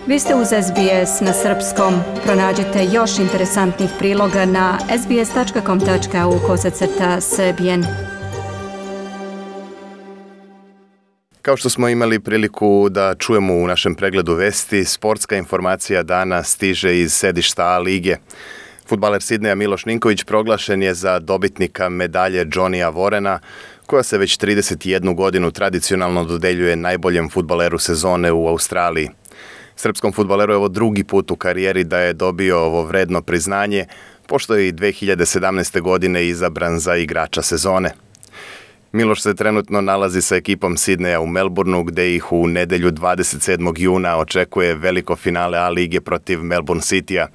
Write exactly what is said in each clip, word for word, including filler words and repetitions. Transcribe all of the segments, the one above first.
Vi ste uz S B S na srpskom. Pronađite još interesantnih priloga na sbs.com.au kosacrta srbijen. Kao što smo imali priliku da čujemo u našem pregledu vesti, sportska informacija dana stiže iz sedišta A lige. Fudbaler Sidneja Miloš Ninković proglašen je za dobitnika medalje Johnnyja Warrena, koja se već trideset jednu godinu tradicionalno dodeljuje najboljem fudbaleru sezone u Australiji. Srpskom fudbaleru je ovo drugi put u karijeri da je dobio ovo vredno priznanje, pošto je i dve hiljade sedamnaeste. godine izabran za igrača sezone. Miloš se trenutno nalazi sa ekipom Sidneja u Melbourneu, gde ih u nedelju dvadeset sedmog juna očekuje veliko finale A lige protiv Melbourne Citya.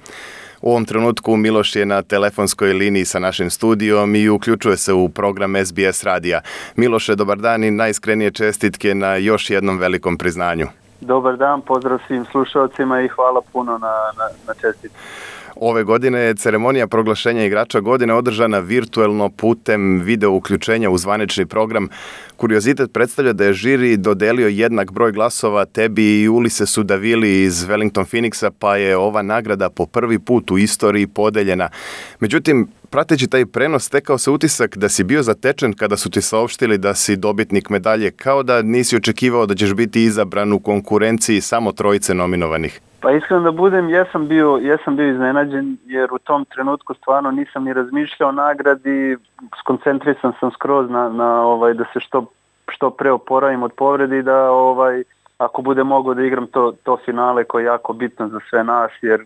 U ovom trenutku Miloš je na telefonskoj liniji sa našim studijom i uključuje se u program S B S radija. Miloše, dobar dan i najiskrenije čestitke na još jednom velikom priznanju. Dobar dan, pozdrav svim slušalcima i hvala puno na, na, na čestitku. Ove godine je ceremonija proglašenja igrača godine održana virtuelno putem video uključenja u zvanični program. Kuriozitet predstavlja da je žiri dodelio jednak broj glasova tebi i Ulisesu Davili iz Wellington Phoenixa, pa je ova nagrada po prvi put u istoriji podeljena. Međutim, prateći taj prenos, stekao se utisak da si bio zatečen kada su ti saopštili da si dobitnik medalje, kao da nisi očekivao da ćeš biti izabran u konkurenciji samo trojice nominovanih. Pa iskreno da budem, jesam bio, jesam bio iznenađen jer u tom trenutku stvarno nisam ni razmišljao o nagradi, skoncentrisan sam skroz na, na ovaj, da se što, što pre oporavim od povrede i da ovaj, ako bude mogao da igram to, to finale koje je jako bitno za sve nas, jer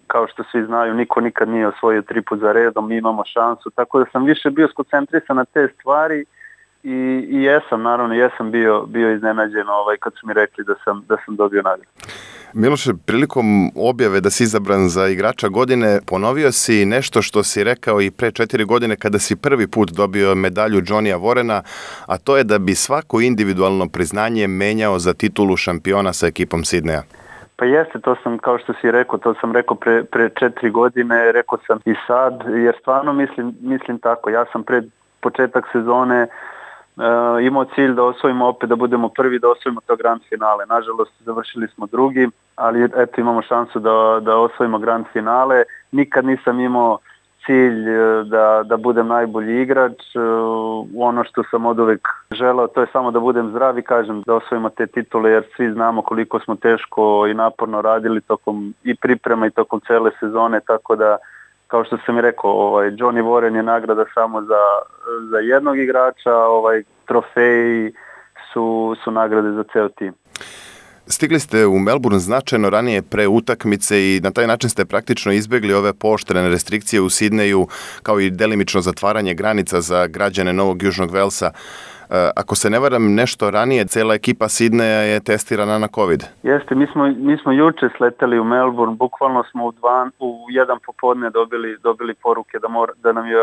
kao što svi znaju, niko nikad nije osvojio tri put za redom, mi imamo šansu, tako da sam više bio skoncentrisan na te stvari i, i jesam, naravno, jesam bio, bio iznenađen ovaj, kad su mi rekli da sam, da sam dobio nagradu. Miloše, prilikom objave da si izabran za igrača godine, ponovio si nešto što si rekao i pre četiri godine kada si prvi put dobio medalju Johnnyja Warrena, a to je da bi svako individualno priznanje menjao za titulu šampiona sa ekipom Sidneja. Pa jeste, to sam, kao što si rekao, to sam rekao pre, pre četiri godine, rekao sam i sad, jer stvarno mislim, mislim tako. Ja sam pred početak sezone uh, imao cilj da osvojimo opet, da budemo prvi, da osvojimo to grand finale. Nažalost, završili smo drugi, ali eto imamo šansu da, da osvojimo grand finale. Nikad nisam imao cilj da, da budem najbolji igrač. Ono što sam od uvek želeo, to je samo da budem zdrav i kažem da osvojimo te titule, jer svi znamo koliko smo teško i naporno radili tokom i priprema i tokom cele sezone, tako da, kao što sam i rekao, ovaj, Johnny Warren je nagrada samo za, za jednog igrača, ovaj, trofeji su, su nagrade za ceo tim. Stigli ste u Melbourne značajno ranije pre utakmice i na taj način ste praktično izbjegli ove pooštrene restrikcije u Sidneju, kao i delimično zatvaranje granica za građane Novog Južnog Velsa. Ako se ne varam, nešto ranije, cela ekipa Sidneja je testirana na COVID. Jeste, mi smo, mi smo juče sleteli u Melbourne, bukvalno smo u, dva, u jedan popodne dobili, dobili poruke da, mora, da nam je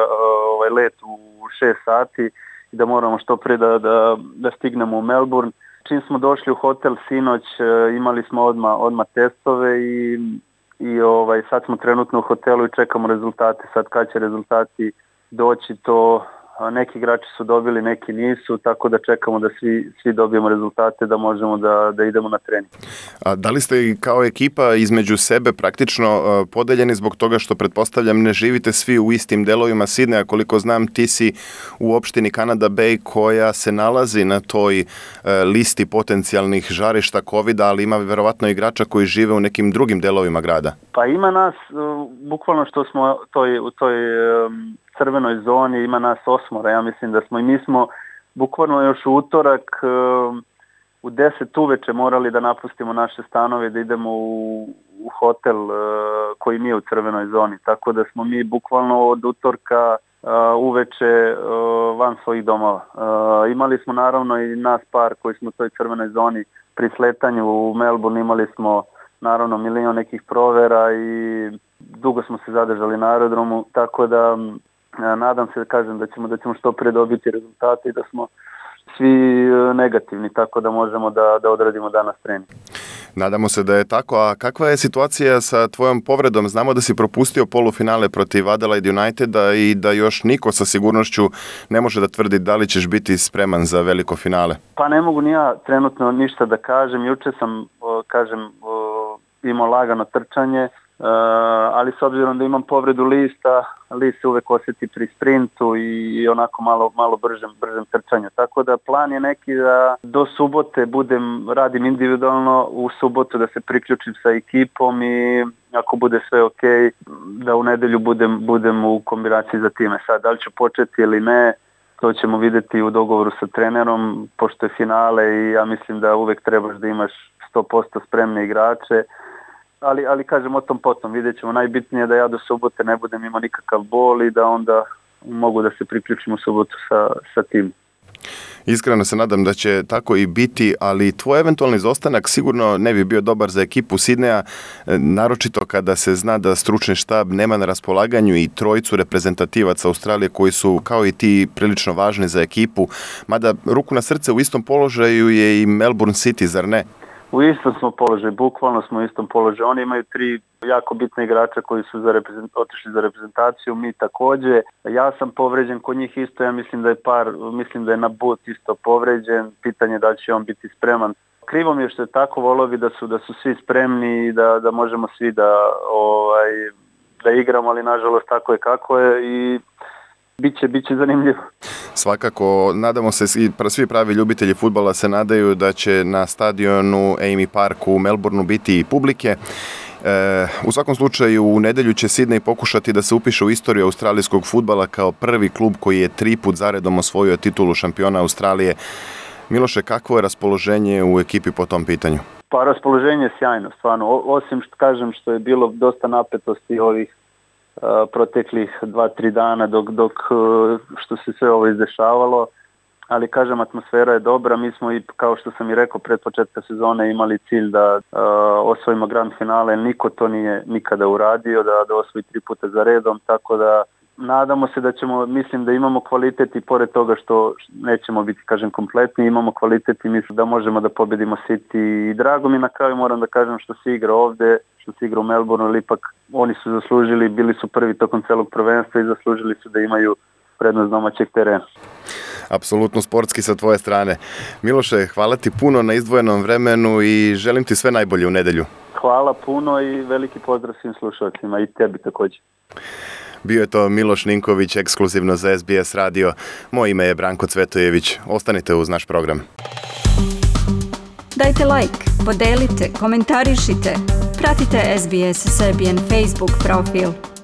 ovaj let u šest sati i da moramo što pre da, da, da stignemo u Melbourne. Čim smo došli u hotel sinoć, imali smo odmah, odmah testove i, i ovaj, sad smo trenutno u hotelu i čekamo rezultate. Sad kad će rezultati doći, to neki igrači su dobili, neki nisu, tako da čekamo da svi, svi dobijemo rezultate da možemo da, da idemo na trening. A da li ste kao ekipa između sebe praktično podeljeni zbog toga što, pretpostavljam, ne živite svi u istim delovima Sidneja? Koliko znam, ti si u opštini Canada Bay koja se nalazi na toj listi potencijalnih žarišta kovida, ali ima verovatno igrača koji žive u nekim drugim delovima grada. Pa ima nas, bukvalno što smo toj, u toj crvenoj zoni, ima nas osmora, ja mislim da smo i mi smo bukvalno još u utorak u deset uveče morali da napustimo naše stanove, da idemo u, u hotel koji nije u crvenoj zoni, tako da smo mi bukvalno od utorka uveče van svojih domova. Imali smo naravno i nas par koji smo u toj crvenoj zoni pri sletanju u Melbourne, imali smo naravno milion nekih provera i dugo smo se zadržali na aerodromu, tako da nadam se da kažem da ćemo da ćemo što pre dobiti rezultate i da smo svi negativni, tako da možemo da, da odradimo danas trening. Nadamo se da je tako. A kakva je situacija sa tvojom povredom? Znamo da si propustio polufinale protiv Adelaide Uniteda i da još niko sa sigurnošću ne može da tvrdi da li ćeš biti spreman za veliko finale. Pa ne mogu ni ja trenutno ništa da kažem. Juče sam, kažem, imao lagano trčanje, Uh, ali s obzirom da imam povredu lista, list se uvek osjeti pri sprintu i, i onako malo, malo bržem, bržem trčanju. Tako da plan je neki da do subote budem, radim individualno, u subotu da se priključim sa ekipom i ako bude sve ok, da u nedelju budem, budem u kombinaciji za time. Sad, da li ću početi ili ne, to ćemo vidjeti u dogovoru sa trenerom, pošto je finale i ja mislim da uvek trebaš da imaš sto posto spremne igrače. Ali, ali kažem o tom potom, vidjet ćemo, najbitnije je da ja do subote ne budem imao nikakav bol i da onda mogu da se priključim u subotu sa, sa tim. Iskreno se nadam da će tako i biti, ali tvoj eventualni izostanak sigurno ne bi bio dobar za ekipu Sidneja, naročito kada se zna da stručni štab nema na raspolaganju i trojicu reprezentativaca Australije koji su kao i ti prilično važni za ekipu, mada ruku na srce u istom položaju je i Melbourne City, zar ne? U istom smo položaju, bukvalno smo u istom položaju. Oni imaju tri jako bitne igrača koji su za reprezent, otišli za reprezentaciju, mi također. Ja sam povređen kod njih isto, ja mislim da je par, mislim da je Nabut isto povređen, pitanje da će on biti spreman. Krivo mi je što je tako, volio bi da su, da su svi spremni i da, da možemo svi da, ovaj, da igramo, ali nažalost tako je kako je i Biće, biće zanimljivo. Svakako, nadamo se, svi pravi ljubitelji fudbala se nadaju da će na stadionu Amy Park u Melbourneu biti i publike. E, u svakom slučaju, u nedelju će Sidney pokušati da se upiše u istoriju australijskog fudbala kao prvi klub koji je tri put zaredom osvojio titulu šampiona Australije. Miloše, kakvo je raspoloženje u ekipi po tom pitanju? Pa raspoloženje je sjajno, stvarno. O, osim što kažem što je bilo dosta napetosti ovih Uh, proteklih dva, tri dana dok, dok uh, što se sve ovo izdešavalo, ali kažem atmosfera je dobra, mi smo i kao što sam i rekao pred početka sezone imali cilj da uh, osvojimo grand finale, niko to nije nikada uradio, da, da osvoji tri puta za redom, tako da nadamo se da ćemo, mislim da imamo kvalitet i pored toga što nećemo biti, kažem, kompletni, imamo kvalitet i mislim da možemo da pobedimo City i drago mi na kraju moram da kažem što se igra ovde, što se igra u Melbourneu, ali ipak oni su zaslužili, bili su prvi tokom celog prvenstva i zaslužili su da imaju prednost domaćeg terena. Apsolutno sportski sa tvoje strane. Miloše, hvala ti puno na izdvojenom vremenu i želim ti sve najbolje u nedelju. Hvala puno i veliki pozdrav svim slušalcima i tebi također. Bio je to Miloš Ninković, ekskluzivno za S B S radio. Moje ime je Branko Cvetojević. Ostanite uz naš program. Dajte like, podelite, komentarišite. Pratite S B S Serbian Facebook profil.